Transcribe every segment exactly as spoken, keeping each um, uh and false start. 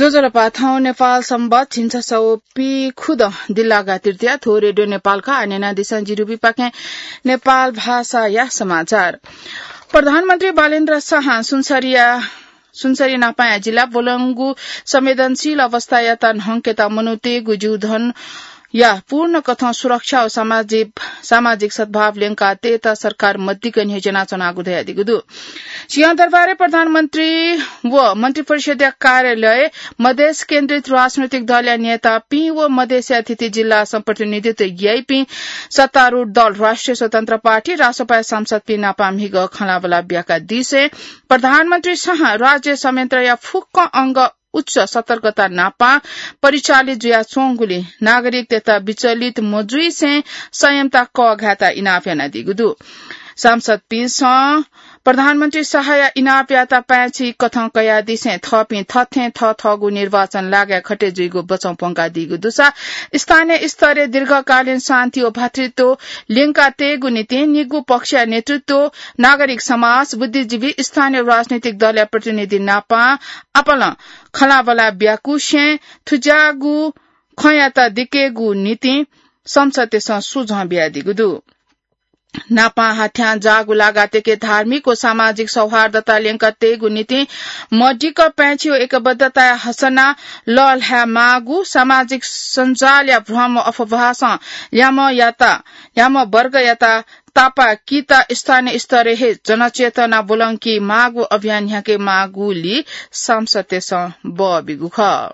ज्वजलपा, थौं नेपाल संवत् झिंछसः व पीखुदँ दिल्लागा तृतीया। थ्व रेडियो नेपालका आः न्यनादिसँ, जिरुपिपाखें नेपाल भाषाया समाचार। प्रधानमन्त्री बालेन्द्र शाहं सुनसरीया, सुनसरी नापाया जिल्ला ब्वलंगु संवेदनशील अवस्थायात न्हंकेत मनूतय्गु जीवधनया पूर्ण कथं सुरक्षा व सामाजिक, सामाजिक सद्भाव ल्यंका तयेत सरकार मदिक्क न्ह्यज्यानाच्वनागु धयादीगु दु। सिंहदरबारय् प्रधानमन्त्री व मन्त्रिपरिषद्या कार्यालय, मधेस केन्द्रित राजनैतिक दलया नेतापिं व मधेसया थीथी जिल्लासं प्रतिनिधित्व याइपिं सत्तारूढ दल राष्ट्रिय स्वतन्त्र पार्टी, रासोपाया सांसदपिं नापं म्हिगः खँल्हाबल्हा ब्याकादिसें प्रधानमन्त्री शाहं राज्य संयन्त्रया फुक्क अंग उच्च सतर्कता नापं परिचालित जुयाच्वंगुलिं नागरिकतय्त विचलित मजुइसें संयमता कःघायेत इनाप यानादीगु दु। सांसदपिन्सं प्रधानमन्त्री शाहया इनापयात पाय्छि कथं कयादिसें थःपिं थथें थःथःगु निर्वाचन लागाय् खटे जुइगु बचं प्वंकादीगु दुसा स्थानीय स्तरय् दीर्घकालीन शान्ति व भातृत्व ल्यंका तयेगु निंतिं निगू पक्षया नेतृत्व, नागरिक समाज, बुद्धिजीवी, स्थानीय राजनैतिक दलया प्रतिनिधि नापं आपालं खँल्हाबल्हा ब्याकुसें थुज्याःगु खँयात दिकेगु निंतिं संसदय्सं सुझाव बियादीगु दु। नापं हाथ्यां जाःगु लागातय्के धार्मिक व सामाजिक सौहार्दता ल्यंका तयेगु निंतिं मदिक्क पाय्छि व एकबद्धताया हसना लःल्हाये माःगु, सामाजिक सञ्जालया भ्रम व अफवाहसं ल्याम्ह यात, ल्याम्ह वर्गयात तापाकीत स्थानीय स्तरय् हे जनचेतना ब्वलंके माःगु अभियान न्ह्याके माःगुली सांसदतय्सं बः बीगु खः।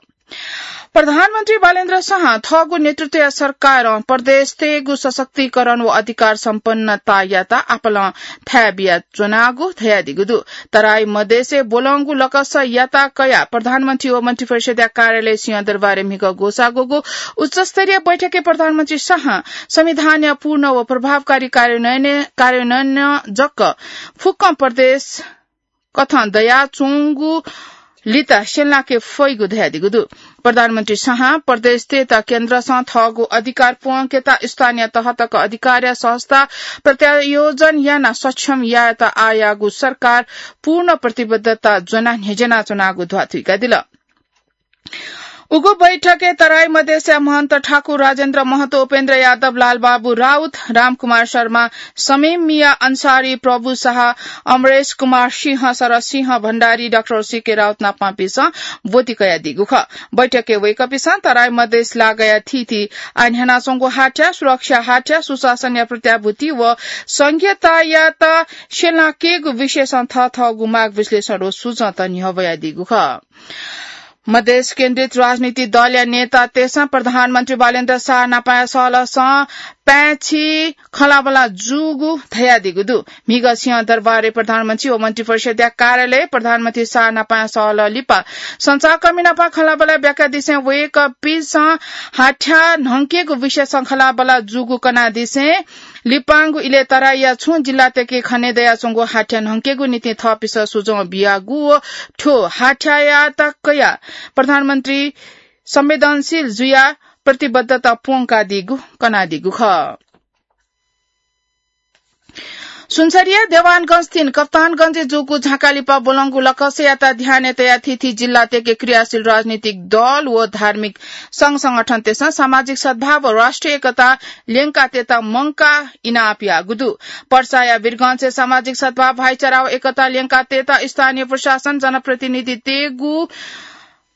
प्रधानमन्त्री बालेन्द्र शाहं थःगु नेतृत्वया सरकारं प्रदेशतय्गु सशक्तिकरण व अधिकार सम्पन्नतायात आपालं थाय् बियाच्वनागु धयादीगु दु। तराई मधेसय् ब्वलंगु लकसयात कयाः प्रधानमन्त्री व मन्त्रिपरिषद्या कार्यालय सिंहदरबारय् म्हिगः ग्वसाः ग्वःगु उच्चस्तरीय बैठकय् प्रधानमन्त्री शाहं संविधानया पूर्ण व प्रभावकारी कार्यान्वयन, कार्यान्वयन जक फुक्कं प्रदेश कथं दयाच्वंगु लित स्यंलाके फइगु धयादीगु दु। प्रधानमन्त्री शाहं प्रदेशतय्त केन्द्रसं थःगु अधिकार प्वंकेत स्थानीय तह तक अधिकारया सहजता प्रत्यायोजन यानाः सक्षम यायेत आःयागु सरकार पूर्ण प्रतिबद्धता ज्वनाः न्ह्यज्यानाच्वनागु ध्वाथुइकादिल। उगु बैठकय् तराई मधेसया महन्त ठाकुर राजेन्द्र महतो, उपेन्द्र यादव, लालबाबु राउत, रामकुमार शर्मा, समीम मिया अन्सारी, प्रभु शाह, अमरेश कुमार सिंह, शरद सिंह भण्डारी, डाक्टर सीके राउत नापंपिन्सं ब्वति कयादीगु खः। बैठकय् वय्कःपिन्सं तराई मधेस लागाया थीथी आः न्ह्यानाच्वंगु हाथ्या, सुरक्षा हाथ्या, सुशासनया प्रत्याभूति व संघीयतायात स्यंलाकेगु विषयसं थःथःगु माग विश्लेषण व सुझावत न्ह्यब्वयादीगु खः। मधेस केन्द्रित राजनीतिक दलया नेतातय्सं प्रधानमन्त्री बालेन्द्र शाह नापंया सहलहसं पाय्छि खँल्हाबल्हा जूगु धयादीगु दु। म्हिगः सिंहदरबारय् प्रधानमन्त्री व मन्त्रिपरिषद्या कार्यालय प्रधानमन्त्री शाह नापंया सहलह लिपा सञ्चारकर्मी नाप खँल्हाबल्हा ब्याकादिसें वय्कःपिन्सं हाथ्या न्हंकेगु विषयसं खँल्हाबल्हा जूगु कनादिसें लिपांगु इलय् तराईया छुं जिल्लातय्के खनेदयाच्वंगु हाथ्या न्हंकेगु निंतिं थःपिन्सं सुझाव बियागु व थ्व हाथ्यायात कयाः प्रधानमन्त्री संवेदनशील जुयाः प्रतिबद्धता प्वंकादीगु कनादीगु खः। सुनसरीया देवानगंज तीन कप्तानगंजय् जूगु झाँका लिपा ब्वलंगु लकसयात ध्यानय् तयाः थीथी जिल्लातय्के क्रियाशील राजनीतिक दल व धार्मिक संघ संगठनतय्सं सामाजिक सद्भाव व राष्ट्रिय एकता ल्यंका तयेत मंकाः इनाप याःगु दु। पर्साया वीरगंजय् सामाजिक सद्भाव, भाइचारा व एकता ल्यंका तयेत स्थानीय प्रशासन, जनप्रतिनिधितय्गु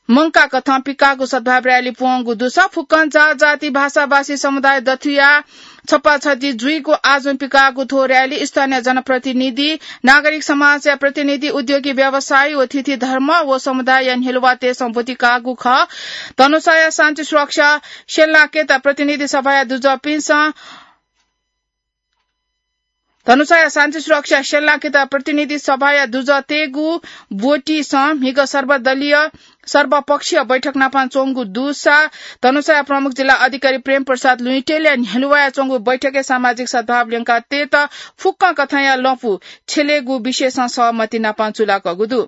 मंकाः कथं पिकाःगु सद्भाव र्‍याली प्वंगु दुसा फुक्कं जात जाति भाषा भाषी समुदाय दथुयाः छपाछति जुइगु आजं पिकाःगु थ्व र्‍याली स्थानीय जनप्रतिनिधि, नागरिक समाजया प्रतिनिधि, उद्योगी व्यवसायी व थीथी धर्म व समुदायया न्ह्यलुवातय्सं ब्वति काःगु खः। धनुषाया शान्ति सुरक्षा स्यंलाकेत प्रतिनिधि सभाया दुजःपिन्सं धनुषाया शान्ति सुरक्षा स्यंलाकेत प्रतिनिधि सभाया दुजःतय्गु ब्वतिसं म्हिगः सर्वदलीय सर्वपक्षीय बैठक नापं च्वंगु दुसा धनुषाया प्रमुख जिल्ला अधिकारी प्रेम प्रसाद लुइटेलया न्ह्यलुवाय् च्वंगु बैठकय् सामाजिक सद्भाव ल्यंका तयेत फुक्कं कथंया लँपु छ्यलेगु विषयसं सहमति नापं चूलाकःगु दु।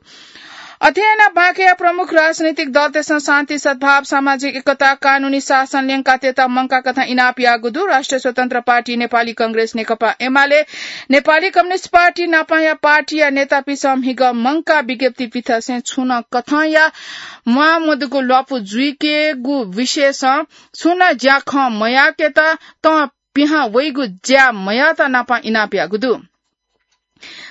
अथे यानाः बाँके प्रमुख राजनीतिक दलतय्सं शान्ति, सद्भाव, सामाजिक एकता, कानूनी शासन ल्यंकातयेत मंकाः कथं इनाप याःगु दु। राष्ट्रिय स्वतन्त्र पार्टी, नेपाली कांग्रेस, नेकपा एमाले, नेपाली कम्युनिस्ट पार्टी नापं या पार्टीया नेतापिन्सं म्हिगः मंकाः विज्ञप्ति पिथंसें छुं नं कथंया म्वाःमदुगु ल्वापु जुइकेगु विषयसं छुं नं ज्याखँ मयाकेत तं पिहां वइगु ज्या मयात नापं इनाप याःगु दु।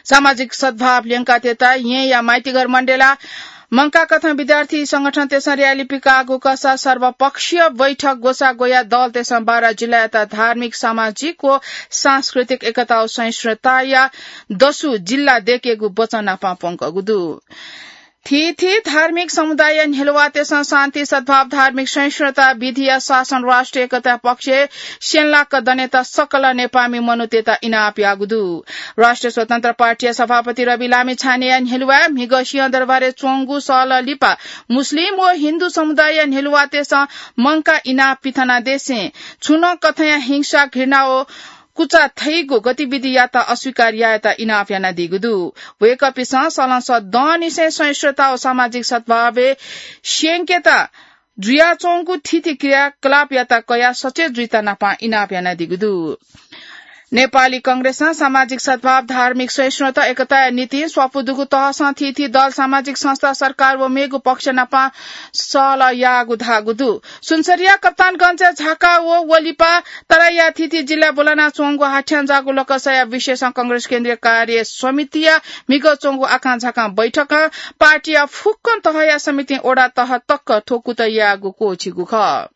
सामाजिक सद्भाव ल्यंकातयेत येँया माइतीघर मण्डेला मंकाः कथं विद्यार्थी संगठनतय्सं र्‍याली पिकाःगु कसा सर्वपक्षीय बैठक ग्वसाः ग्वयाः दलतय्सं बारा जिल्लायात धार्मिक, सामाजिक व सांस्कृतिक एकता व सहिष्णुताया दसु जिल्ला दयेकेगु वचन नापं प्वंकूगु दु। थीथी धार्मिक समुदायया न्ह्यलुवातय्सं शान्ति, सद्भाव, धार्मिक सहिष्णुता, विधिया शासन, राष्ट्रिय एकता पक्षय् स्यंलाक दनेत सकल नेपाःमि मनूतय्त इनाप याःगु दु। राष्ट्रिय स्वतन्त्र पार्टीया सभापति रवि लामिछानेया न्ह्यलुवाय् म्हिगः सिंहदरबारय् च्वंगु सहलह लिपा मुस्लिम व हिन्दू समुदायया न्ह्यलुवातय्सं मंकाः इनाप पिथनादिसें छुं नं कथंया हिंसा, घृणा व कुचा थइगु गतिविधियात अस्वीकार यायेत इनाप यानादीगु दु। वय्कःपिन्सं सलंसः दँनिसें सहिष्णुता व सामाजिक सद्भावय् स्यंकेत जुयाच्वंगु थीथी क्रियाकलापयात कयाः सचेत जुइत नापं इनाप यानादीगु दु। नेपाली कांग्रेसं सामाजिक सद्भाव, धार्मिक सहिष्णुता, एकताया निंतिं स्वापू दुगु तहसं थीथी दल, सामाजिक संस्था, सरकार व मेगु पक्ष नापं सहलह याःगु धाःगु दु। सुनसरीया कप्तानगञ्जय् झाका व वलिपा तराईया थीथी जिल्लाय् ब्वलनाच्वंगु हाथ्यां जाःगु लकसया विषयसं कांग्रेस केन्द्रीय कार्य समितिया म्हिगः च्वंगु आकांझाकां बैठकं पार्टीया फुक्कं तहया समितिं वडा तह तक थ्व कुतः याःगु क्वःछिगु खः।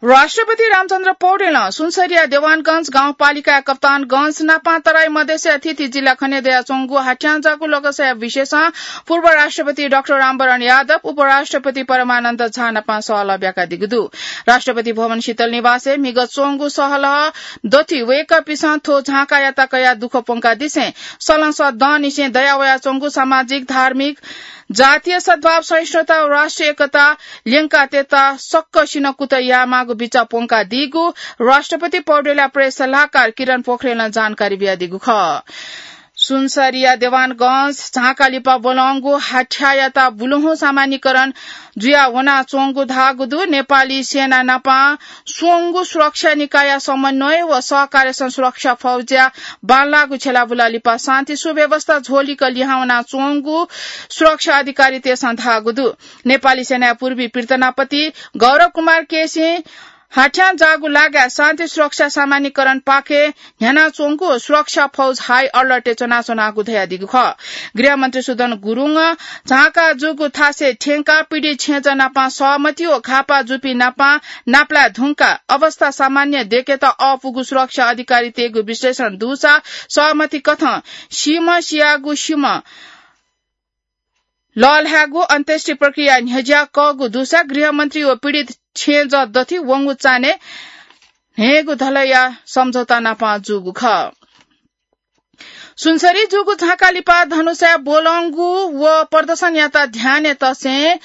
राष्ट्रपति रामचन्द्र पौडेलं सुनसरीया देवानगञ्ज गाउँपालिकाया कप्तानगञ्ज नापं तराई मधेसया थीथी जिल्ला खने दयाच्वंगु हाथ्यां जाःगु लकसया विषयसं पूर्व राष्ट्रपति डाक्टर रामवरण यादव, उपराष्ट्रपति परमानन्द झा नापं सहलह ब्याकादीगु दु। राष्ट्रपति भवन शीतल निवासय् म्हिगः च्वंगु सहलह दथुइ वय्कःपिन्सं थ्व झांकायात कयाः दुःख प्वंकादिसें सलंसः दँनिसें दया वयाच्वंगु सामाजिक, धार्मिक, जातीय सद्भाव, सहिष्णुता व राष्ट्रिय एकता ल्यंकातयेत सकसिनं कुतः यायेमाःगु बिचाः प्वंकादीगु राष्ट्रपति पौडेलया प्रेस सल्लाहकार किरण पोखरेलं जानकारी बियादीगु खः। सुनसरीया देवानगञ्ज झांका लिपा ब्वलंगु हाथ्यायात बुलुहुँ सामान्यीकरण जुया वनाच्वंगु धाःगु दु। नेपाली सेना नापं स्वंगु सुरक्षा निकायया समन्वय व सहकार्यसं सुरक्षा फौजया बांलाःगु छ्यलाबुला लिपा शान्ति सुव्यवस्था झ्वलिक लिहां वनाच्वंगु सुरक्षा अधिकारीतय्सं धाःगु दु। नेपाली सेनाया पूर्वी पीडतनापति गौरव कुमार केसीं हाथ्यां जाःगु लागाय् शान्ति सुरक्षा सामान्यीकरणपाखें न्ह्यानाच्वंगु सुरक्षा फौज हाई अलर्टय् च्वनाच्वनागु धयादीगु खः। गृहमन्त्री सुदन गुरुङं झांका जूगु थासय् थ्यंकाः पीडित छेँजः नापं सहमति व घाःपाः जूपिं नापं नापलाये धुंकाः अवस्था सामान्य दयेकेत अःपुगु सुरक्षा अधिकारीतय्गु विश्लेषण दुसा सहमति कथं सीम्ह सियागु सीम्ह लःल्हायेगु अन्त्येष्टि प्रक्रिया न्ह्यज्याकःगु दुसा गृहमन्त्री व पीडित छेँजः दथुइ वंगु चान्हय् न्हय्गू धलया सम्झौता नापं जूगु खः। सुनसरी जूगु झांका लिपा धनुषाय् ब्वलंगु व प्रदर्शनयात ध्यानय् तसें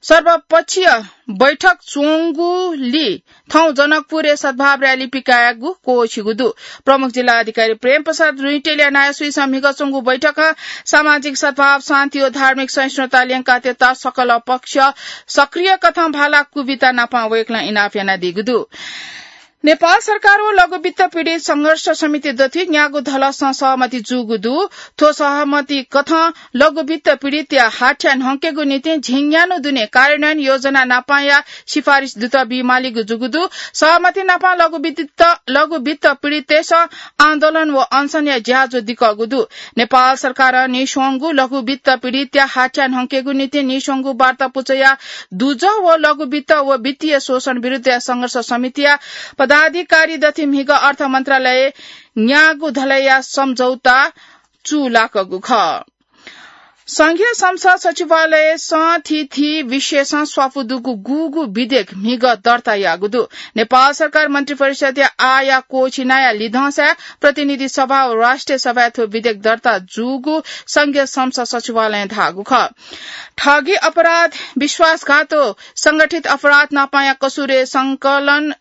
सर्वपक्षीय बैठक च्वंगुलिं थौं जनकपुरय् सद्भाव र्‍याली पिकायेगु क्वःछिगु दु। प्रमुख जिल्ला अधिकारी प्रेम प्रसाद रुइटेलया नायःसुइसं म्हिगः च्वंगु बैठकं सामाजिक सद्भाव, शान्ति व धार्मिक सहिष्णुता ल्यंकातयेत सकल पक्ष सक्रिय कथं भाला कुबिता नापं वय्कलं इनाप यानादीगु दु। नेपाल सरकार व लघुवित्त पीडित संघर्ष समिति दथुइ न्यागू धलसं सहमति जूगु दु। थ्व सहमति कथं लघुवित्त पीडितया हाथ्या न्हंकेगु निंतिं झिंन्यान्हु दुने कार्यान्वयन योजना नापंया सिफारिस दुत बीमालीगु जूगु दु। सहमति नापं लघुवित्त, लघुवित्त पीडिततय्सं आन्दोलन व अनसनया ज्याझ्वः दिकःगु दु। नेपाल सरकारं नीस्वंगु लघुवित्त पीडितया हाथ्या न्हंकेगु निंतिं नीस्वंगु वार्ता पुचःया दुजः व लघुवित्त व वित्तीय शोषण विरुद्धया संघर्ष समितिया पदाधिकारी दथुइ म्हिगः अर्थ मन्त्रालयय् न्यागू धलया सम्झौता चूलाकःगु खः। संघीय संसद सचिवालयसं थीथी विषयसं स्वापू दुगु गुगु विधेयक म्हिगः दर्ता याःगु दु। नेपाल सरकार मन्त्रिपरिषदया आःया क्वःछिनाया लिधंसाय् प्रतिनिधि सभा व राष्ट्रिय सभाय् थ्व विधेयक दर्ता जूगु संघीय संसद सचिवालयं धाःगु खः। ठगी अपराध, विश्वासघात व संगठित अपराध नापंया कसुरय् संकलन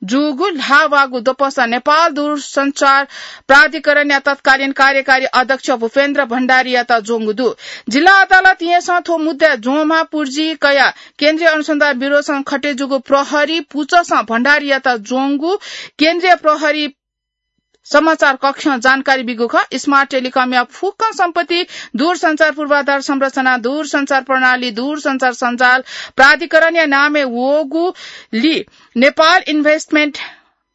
जूगु ल्हाः वःगु द्वपसं नेपाल दूरसञ्चार प्राधिकरणया तत्कालीन कार्यकारी अध्यक्ष भूपेन्द्र भण्डारीयात ज्वंगु दु। जिल्ला अदालत येँसं थ्व मुद्दाय् ज्वंम्ह पुर्जी कयाः केन्द्रीय अनुसन्धान ब्युरोसं खटे जूगु प्रहरी पुचःसं भण्डारीयात ज्वंगु केन्द्रीय प्रहरी समाचार कक्षं जानकारी बीगु खः। स्मार्ट टेलिकमया फुक्कं सम्पत्ति दूरसञ्चार पूर्वाधार संरचना, दूरसञ्चार प्रणाली, दूरसञ्चार सञ्जाल प्राधिकरणया नामय् वःगुलिं नेपाल इन्भेस्टमेन्ट,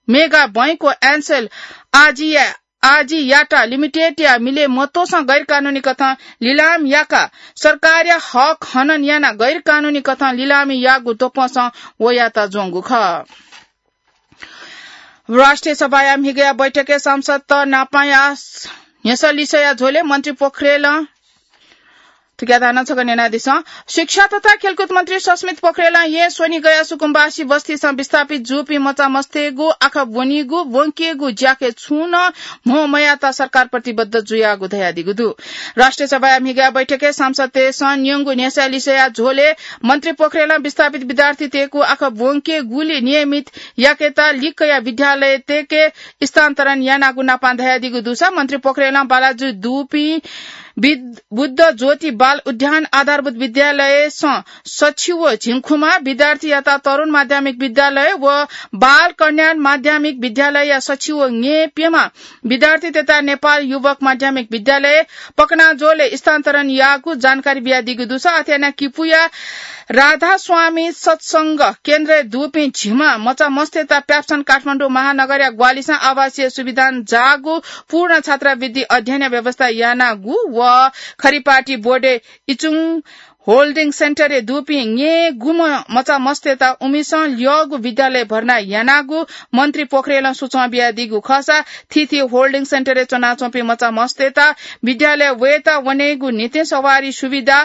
मेगा बैंक व एनसेल आजिया, आजियाटा लिमिटेडया मिले मतोसं गैरकानूनी कथं लिलाम याकाः सरकारया हक हनन यानाः गैरकानूनी कथं लिलामी याःगु द्वपसं वयात ज्वंगु खः। राष्ट्रिय सभाया म्हिगःया बैठकय् सांसदत नापंया न्ह्यसः लिसःया झ्वलय् मन्त्री पोखरेलं थुकिया धानं छकः न्यनादिसँ। शिक्षा तथा खेलकुद मन्त्री सस्मित पोखरेलं येँ स्वनिगःया सुकुम्बासी बस्तीसं विस्थापित जूपिं मचा मस्तय्गु आखः ब्वनीगु ब्वंकेगु ज्याखँय् छुं नं म्हो मयात सरकार प्रतिबद्ध जुयागु धयादीगु दु। राष्ट्रिय सभाया म्हिगःया बैठकय् सांसदतय्सं न्यंगु न्ह्यसः लिसःया झ्वलय् मन्त्री पोखरेलं विस्थापित विद्यार्थीतय्गु आखः ब्वंकेगुली नियमित याकेत लिक्कया विद्यालयतय्के स्थानान्तरण यानागु नापं धयादीगु दुसा मन्त्री पोखरेलं बालाजुइ दुपिं बिद-, बुद्ध ज्योति बाल उद्यान आधारभूत विद्यालयसं सछि व झिंखुमा विद्यार्थीयात तरुण माध्यमिक विद्यालय व बाल कल्याण माध्यमिक विद्यालयया सछि व न्येप्यमा विद्यार्थीतय्त नेपाल युवक माध्यमिक विद्यालय पकनाजोलय् स्थानान्तरण याःगु जानकारी बियादीगु दुसा अथे यानाः किपुया राधास्वामी सत्संग केन्द्रय् दुपिं झिम्मा मचा मस्तय्त प्याप्सन काठमाडौं महानगरया ग्वालिसं आवासीय सुविधां जाःगु पूर्ण छात्रावृत्ति अध्ययनया व्यवस्था यानागु व खरिपाटी बोर्डे इचुङ होल्डिङ सेन्टरय् दुपिं न्येगुम्ह मचा मस्तय्त उमिसं ल्यःगु विद्यालय भर्ना यानागु मन्त्री पोखरेलं सुचं बियादीगु खःसा थीथी होल्डिङ सेन्टरय् च्वनाच्वंपिं मचा मस्तय्त विद्यालय वयेत वनेगु निंतिं सवारी सुविधा,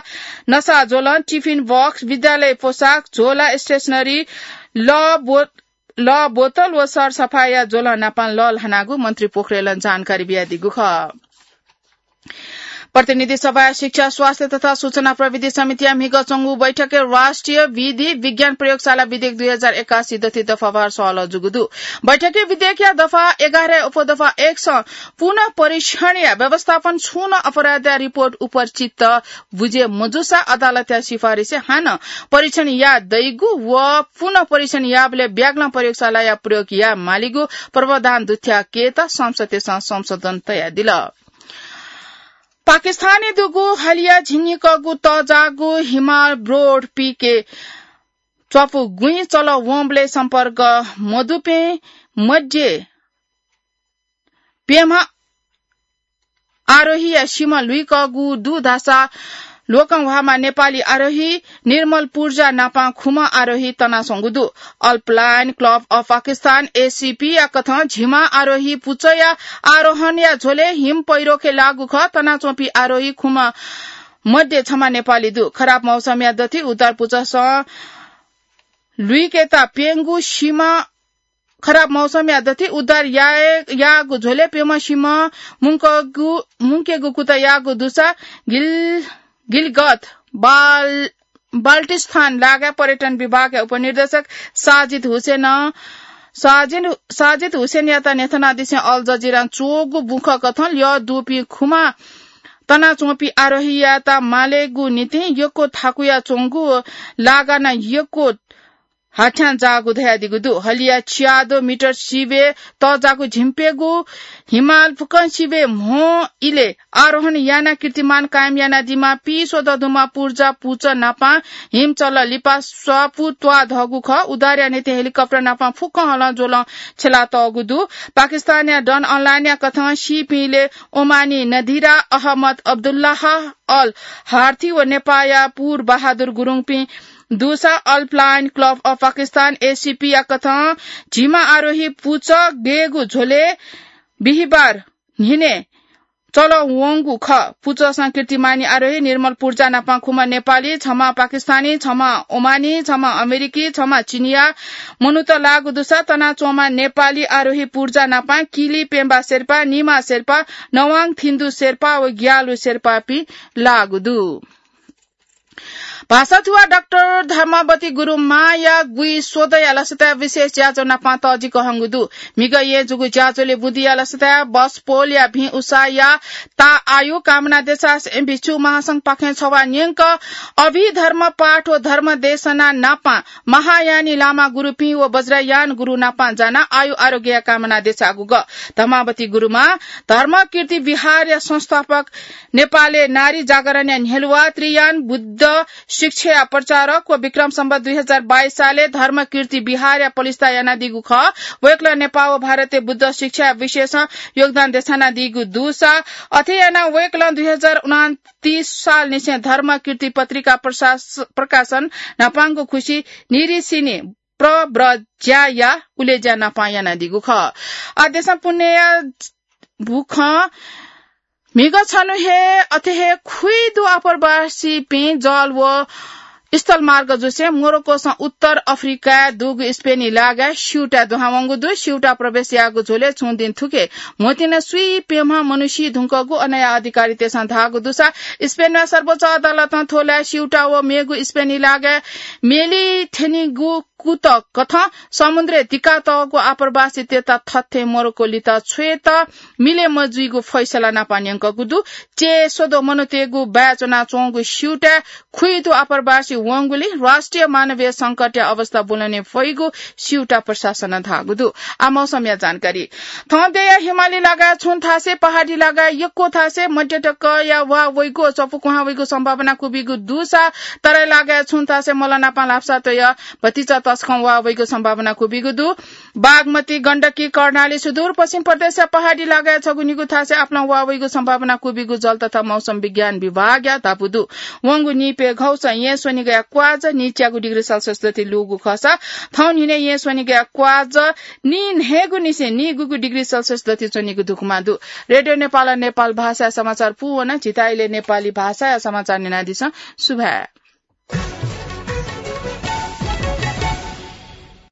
नसा ज्वलं, टिफिन बक्स, विद्यालय पोशाक, झोला, स्टेसनरी, लः बो-, लः बोतल व सरसफाया ज्वलं नापं लःल्हानागु मन्त्री पोखरेलं जानकारी बियादीगु खः। प्रतिनिधि सभाया शिक्षा, स्वास्थ्य तथा सूचना प्रविधि समितिया म्हिगः च्वंगु बैठकय् राष्ट्रिय विधि विज्ञान प्रयोगशाला विधेयक दुई हजार एकासी दथि दफावार सहलह जूगु दु। बैठकय् विधेयकया दफा एघारया उपदफा एकसं पुनः परीक्षणया व्यवस्थापन छुं नं अपराधया रिपोर्ट उपर चित्त बुझे मजूसा अदालतया सिफारिसय् हानं परीक्षण याये दइगु व पुनः परीक्षण याःबलय् ब्यागलं प्रयोगशालाया प्रयोग याये मालीगु प्रावधान दुथ्याकेत संसदय्सं संशोधन तयादिल। पाकिस्तानय् दुगु हलिया झिंनिकःगु तःजाःगु हिमाल ब्रोड पीकय् च्वापु गुँइ चलः वंबलय् सम्पर्क मदुपिं मध्ये प्यम्ह आरोहीया सिमा लुइकःगु दु धाःसा ल्वकं ह्वाःम्ह नेपाली आरोही निर्मल पूर्जा नापं खुम्ह आरोही तनाच्वंगु दु। अल्पलाइन क्लब अफ पाकिस्तान, एसीपी, या कथं झिम्मा आरोही पुचःया आरोहणया झ्वलय् हिम पैह्रोखय् लाःगु खः। तनाच्वंपिं आरोही खुम्ह मध्ये छम्ह नेपाली दु। खराब मौसमया दथि उद्धार पुचःसं लुइकेत प्यंगू सिमा खराब मौसमया दथि उद्धार याये, याःगु झ्वलय् प्यम्ह सिमा मुंकगु, मुंकेगु कुतः याःगु दुसा गिल-, गिलगत बाल-, बाल्टिस्तान लागाय् पर्यटन विभागया उपनिर्देशक साजिद हुसेनं, साजिद, साजिद हुसेनयात न्ह्यथनादिसें अल जजिरां च्वःगु बुखँ कथं ल्यः दुपिं खुम्ह तनाच्वंपिं आरोहीयात मालेगु निंतिं यक्व थाकुया च्वंगु लागानं यक्व हाथ्यां जाःगु धयादीगु दु। हलिया छियादँ मिटर सिबय् तःजाःगु झिंप्यंगू हिमाल फुक्कं सिबय् म्हो इलय् आरोहण यानाः कीर्तिमान कायम यानादीम्ह पीस्वदँ दुम्ह पूर्जा पुचः नापं हिम चलः लिपा स्वापू त्वाःधःगु खः। उद्धारया निंतिं हेलिकप्टर नापं फुक्कं हलं ज्वलं छ्यलातःगु दु। पाकिस्तानया डन अनलाइनया कथं सीपिंलय् ओमानी नदिरा अहमद अब्दुल्लाह अल हार्थी व नेपाःया पूर बहादुर गुरुङपिं दुसा अल्पलाइन क्लब अफ पाकिस्तान, एसीपीया कथं झिम्मा आरोही पुचः गयेगु झ्वलय् बिहिबार न्हिनय् चलः वंगु खः। पुचःसं कीर्तिमानी आरोही निर्मल पूर्जा नापं खुम्ह नेपाली, छम्ह पाकिस्तानी, छम्ह ओमानी, छम्ह अमेरिकी, छम्ह चिनियाँ मनूत लाःगु दुसा तनाच्वंम्ह नेपाली आरोही पूर्जा नापं किली पेम्बा शेर्पा, निमा शेर्पा, नवाङ थिन्दु शेर्पा व ग्यालु शेर्पापिं लाःगु दु। भाषाथुवा डाक्टर धर्मावती गुरुमांया गुइस्वदँया लसताय् विशेष ज्याझ्वः नापं तःजिक हंगु दु। म्हिगः येँ जूगु ज्याझ्वलय् बुदिंया लसताय् बस पोलया भिं उसाया ता आयु कामना देछासें भिक्षु महासंघपाखें छवाः न्यंक अभिधर्म पाठ व धर्म देशना नापं महायानी लामा गुरुपिं व वज्रयान गुरु नापं जानाः आयु आरोग्यया कामना देछाःगु खः। धर्मावती गुरुमां धर्मकीर्ति विहारया संस्थापक, नेपालय् नारी जागरणया न्ह्यलुवा, त्रियान, बुद्ध शिक्षाया प्रचारक व विक्रम सम्वत दुई हजार बाइस सालय् धर्मकीर्ति विहारया पलिस्था यानादीगु खः। वय्कलं नेपाल व भारतय् बुद्ध शिक्षाया विषयसं योगदान देछानादीगु दुसा, अथे यानाः वय्कलं दुई हजार उनान्तिस सालनिसें धर्मकीर्ति पत्रिका प्रशास-, प्रकाशन न्हापांगु खुसि निरिसिने प्रव्रज्याया उलेज्या नापं यानादीगु खः। आः देशं पुण्यया बुखँ म्हिगः छन्हु हे अथे हे खुइदु आप्रवासीपिं जल व स्थलमार्ग जुसें मोरोक्कोसं उत्तर अफ्रिकाय् दुगु स्पेनी लागाय् स्यूताय् दुहां वंगु दु। स्यूताय् प्रवेश याःगु झ्वलय् छुं दिं थुखे म्होतिं सुइप्यम्ह मनू सी धुंकूगु अनया अधिकारीतय्सं धाःगु दुसा स्पेनया सर्वोच्च अदालतं थ्व लाय् स्यूताय् व मेगु स्पेनी लागाय् मेली थ्यनीगु कुतः कथं समुद्रय् दिकातःगु आप्रवासीतय्त थथे मोरोक्को लित छ्वयेत मिले मजुइगु फैसला नापं न्यंकूगु दु। च्यय् स्वद्वः मनूतय्गु बाय् च्वनाच्वंगु स्यूताय् खुइदु आप्रवासी वंगुलिं राष्ट्रिय मानवीय संकटया अवस्था ब्वलने फइगु स्यूताय् प्रशासनं धाःगु दु। आः मौसमया जानकारी। थौं देय्या हिमाली लागाय् छुं थासय्, पहाडी लागाय् यक्व थासय् मध्यतकया वा वइगु, चपु कुहां वइगु सम्भावना क्वबिगु दुसा तराई लागाय् छुं थासय् मलनापं लापसा तय् भतिचा तसकं वा वइगु सम्भावना क्वबिगु दु। बागमती, गण्डकी, कर्णाली, सुदूरपश्चिम प्रदेशया पहाडी लागाय् छगू निगू थासय् आपालं वा वइगु सम्भावना क्वबिगु जल तथा मौसम विज्ञान विभागया धापू दु। वंगु निपय् घौसं येँ स्वनिगःया क्वाज नीच्यागू डिग्री सेल्सियस दति लूगु खःसा थौं न्हिनय् येँ स्वनिगःया क्वाज नीन्हय्गुनिसें नीगूगू डिग्री सेल्सियस दति च्वनीगु धुकुमा दु। रेडियो नेपालं नेपाल भाषाया समाचार पूवन। झीत इलय् नेपाली भाषाया समाचार न्यनादिसँ। सुभाय्।